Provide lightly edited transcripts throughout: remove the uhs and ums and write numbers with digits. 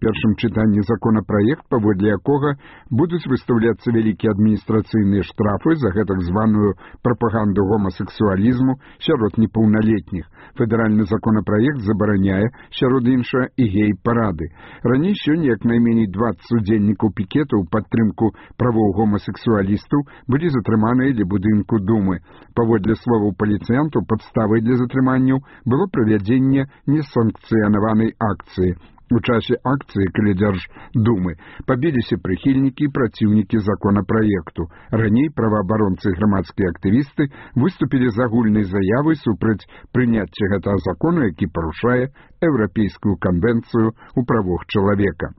першым чытанні законапраект, паводле якога будуць выстаўляцца вялікія адміністрацыйныя штрафы за гэтак званую прапаганду гомасексуалізму сярод непаўналетніх. Федэральны законапраект забараняе, сярод іншага, і гей-парады. Раней сёння як найменей 20 удзельнікаў пікетаў у падтрымку правоў гомасексуалістаў былі затрыманыя ля будынку Думы. Паводле словаў паліцыянтаў, падставай для затрыманняў было правядзенне несанкцыянаванай акцыі. У часе акцыі каля Дзярждумы пабіліся прыхільнікі і праціўнікі законапраекту. Раней праваабаронцы і грамадскія актывісты выступілі з агульнай заявай супраць прыняцця гэтага закона, які парушае Еўрапейскую канвенцыю ў правах чалавека.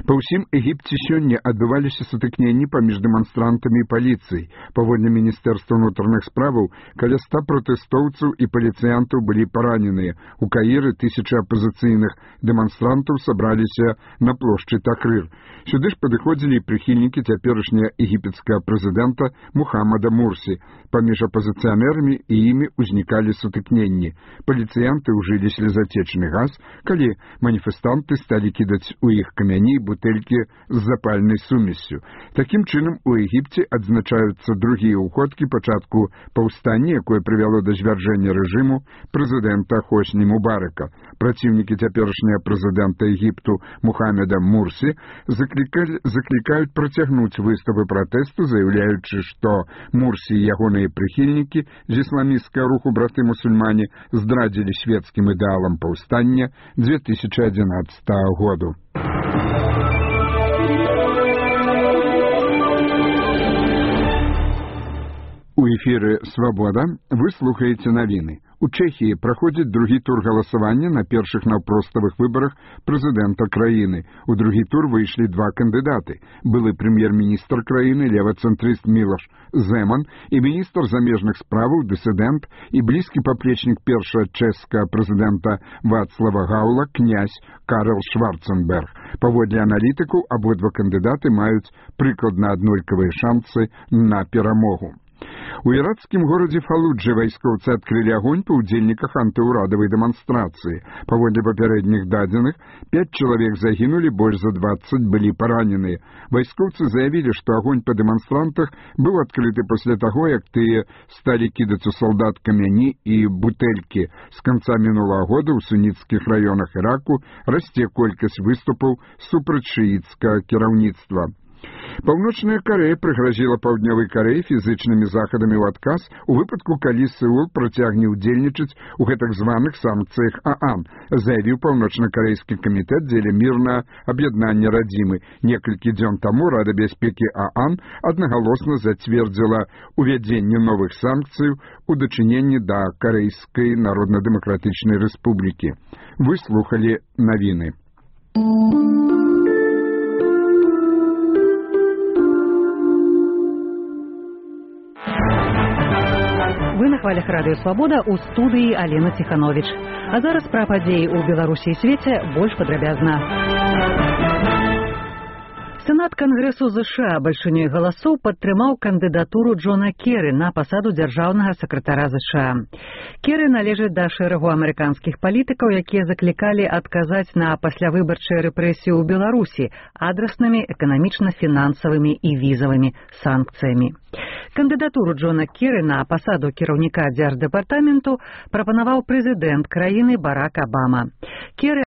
Па ўсім Егіпце сёння адбываліся сутыкненні паміж дэманстрантамі і паліцыяй. Паводле Міністэрства ўнутраных справаў, каля 100 пратэстоўцаў і паліцыянтаў былі параненыя. У Каіры тысячы апазіцыйных дэманстрантаў сабраліся на плошчы Такрыр. Сюды ж падыходзілі і прыхільнікі цяперашняга егіпецкага прэзідэнта Мухаммада Мурсі. Паміж апазіцыянерамі і імі ўзнікалі сутыкненні. Паліцыянты ўжылі слезатечны газ, калі маніфестанты сталі кідаць у іх камяні і бутэлькі з запальнай сумессю. Такім чынам у Егіпце адзначаюцца другія ўходкі пачатку паўстання, якое прывяло да звяржэння рэжыму прэзідэнта Хосні Мубарака. Праціўнікі цяперашняга прэзідэнта Егіпту Мухаммада Мурсі заклікаюць працягнуць выставы пратэсту, заяўляючы, што Мурсі і ягоныя прыхільнікі з ісламісцкага руху браты-мусульмане здрадзілі свецкім ідэалам паўстання 2011 году. У эфіры «Свабода» вы слухаеце навіны. У Чэхіі праходзіць другі тур галасавання на першых наўпроставых выбарах прэзідэнта краіны. У другі тур выйшлі два кандыдаты. Былы прэм'ер-міністр краіны, левацэнтрыст Мілош Зэман і міністр замежных справаў, дысідэнт і блізкі паплечнік першага чэшскага прэзідэнта Вацлава Гаўла, князь Карл Шварценберг. Паводле аналітыкаў, абодва кандыдаты маюць прыкладна аднолькавыя шансы на перамогу. У іракскім горадзе Фалуджы вайскоўцы адкрылі агонь па ўдзельніках антыўрадавай дэманстрацыі. Паводле папярэдніх дадзеных, 5 чалавек загінулі, больш за 20 былі параненыя. Вайскоўцы заявілі, што агонь па дэманстрантах быў адкрыты пасля таго, як тыя сталі кідаць у салдат камяні і бутэлькі. З канца мінулага года ў суніцкіх раёнах Іраку расце колькасць выступаў супраць шыіцкага кіраўніцтва. Паўночная Карэя прыгразіла Паўднёвай Карэі фізычнымі захадамі ў адказ у выпадку, калі Сеул працягне ўдзельнічаць у гэтак званых санкцыях ААН, заявіў паўночна-карэйскі камітэт дзеля мірнага аб'яднання радзімы. Некалькі дзён таму Рада бяспекі ААН аднагалосна зацвердзіла увядзенне новых санкцыяў у дачыненні да Карэйскай Народна-дэмакратычнай рэспублікі. Вы слухалі навіны. Вы на хвалях радыё «Свабода» ў студыі Алена Ціхановіч. А зараз пра падзеі ў Беларусі і свеце больш падрабязна. Сенат Кангрэсу США бальшынёй галасоў падтрымаў кандыдатуру Джона Керры на пасаду дзяржаўнага сакратара США. Керры належыць да шэрагу амерыканскіх палітыкаў, якія заклікалі адказаць на паслявыбарчыя рэпрэсіі ў Беларусі адраснымі эканамічна-фінансавымі і візавымі санкцыямі. Кандыдатуру Джона Керры на пасаду кіраўніка дзярждэпартаменту прапанаваў прэзідэнт краіны Барак Абама. Керры